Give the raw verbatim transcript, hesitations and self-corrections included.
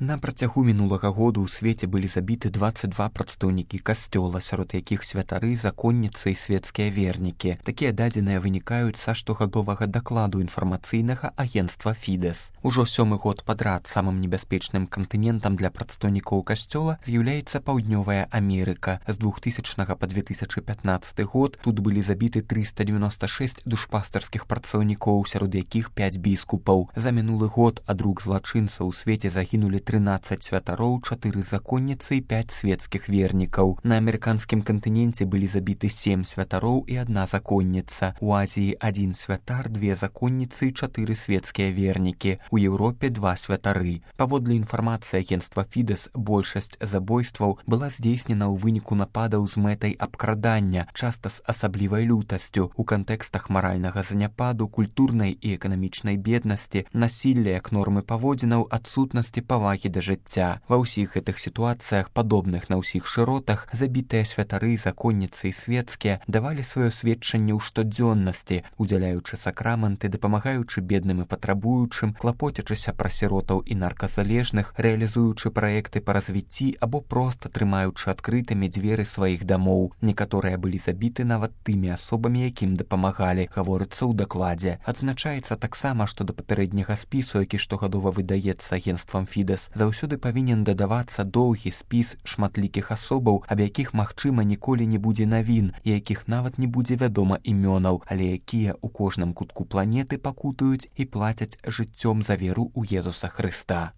На працягу мінулага году ў свеце былі забіты дваццаць два прадстаўнікі касцёла, сярод якіх святары, законніцы і свецкія вернікі. Такія дадзеныя вынікаюць са штогадовага дакладу інфармацыйнага агенцтва Фідэс. Ужо сёмы год падрад самым небяспечным кантынентам для прадстаўнікоў касцёла з'яўляецца Паўднёвая Амерыка. З двухтысячнага па две тысячы пятнаццаты год тут былі забіты трыста дзевяноста шэсць душпастарскіх працаўнікоў, сярод якіх пяць біскупаў. За мінулы год ад рук злачынцаў у свеце загінулі трынаццаць святароў, чатыры законніцы і пяць свецкіх вернікаў. На амерыканскім кантыненце былі забіты сем святароў і адна законніца. У Азіі адзін святар, две законніцы і чатыры свецкія вернікі. У Еўропе два святары. Паводле інфармацыі агенцтва Фідэс, большасць забойстваў была здзейснена ў выніку нападаў з мэтай абкрадання, часта з асаблівай лютасцю, у кантэкстах маральнага заняпаду, культурнай і эканамічнай беднасці, насілля як нормы паводзінаў, адсутнасці павагі да жыцця. Ва ўсіх гэтых сітуацыях, падобных на ўсіх шыротах, забітыя святары, законніцы і свецкія давалі сваё сведчанне ў штодзённасці, удзяляючы сакраманты, дапамагаючы бедным і патрабуючым, клапоцячыся пра сіротаў і нарказалежных, рэалізуючы праекты па развіцці або проста трымаючы адкрытымі дзверы сваіх дамоў. Некаторыя былі забіты нават тымі асобамі, якім дапамагалі, гаворыцца ў дакладзе. Адзначаецца таксама, што да папярэдняга спісу, які штогадова выдаецца агенцтвам Фідэс, заўсёды павінен дадавацца доўгі спіс шматлікіх асобаў, аб якіх, магчыма, ніколі не будзе навін, і якіх нават не будзе вядома імёнаў, але якія ў кожным кутку планеты пакутуюць і плацяць жыццём за веру ў Езуса Хрыста.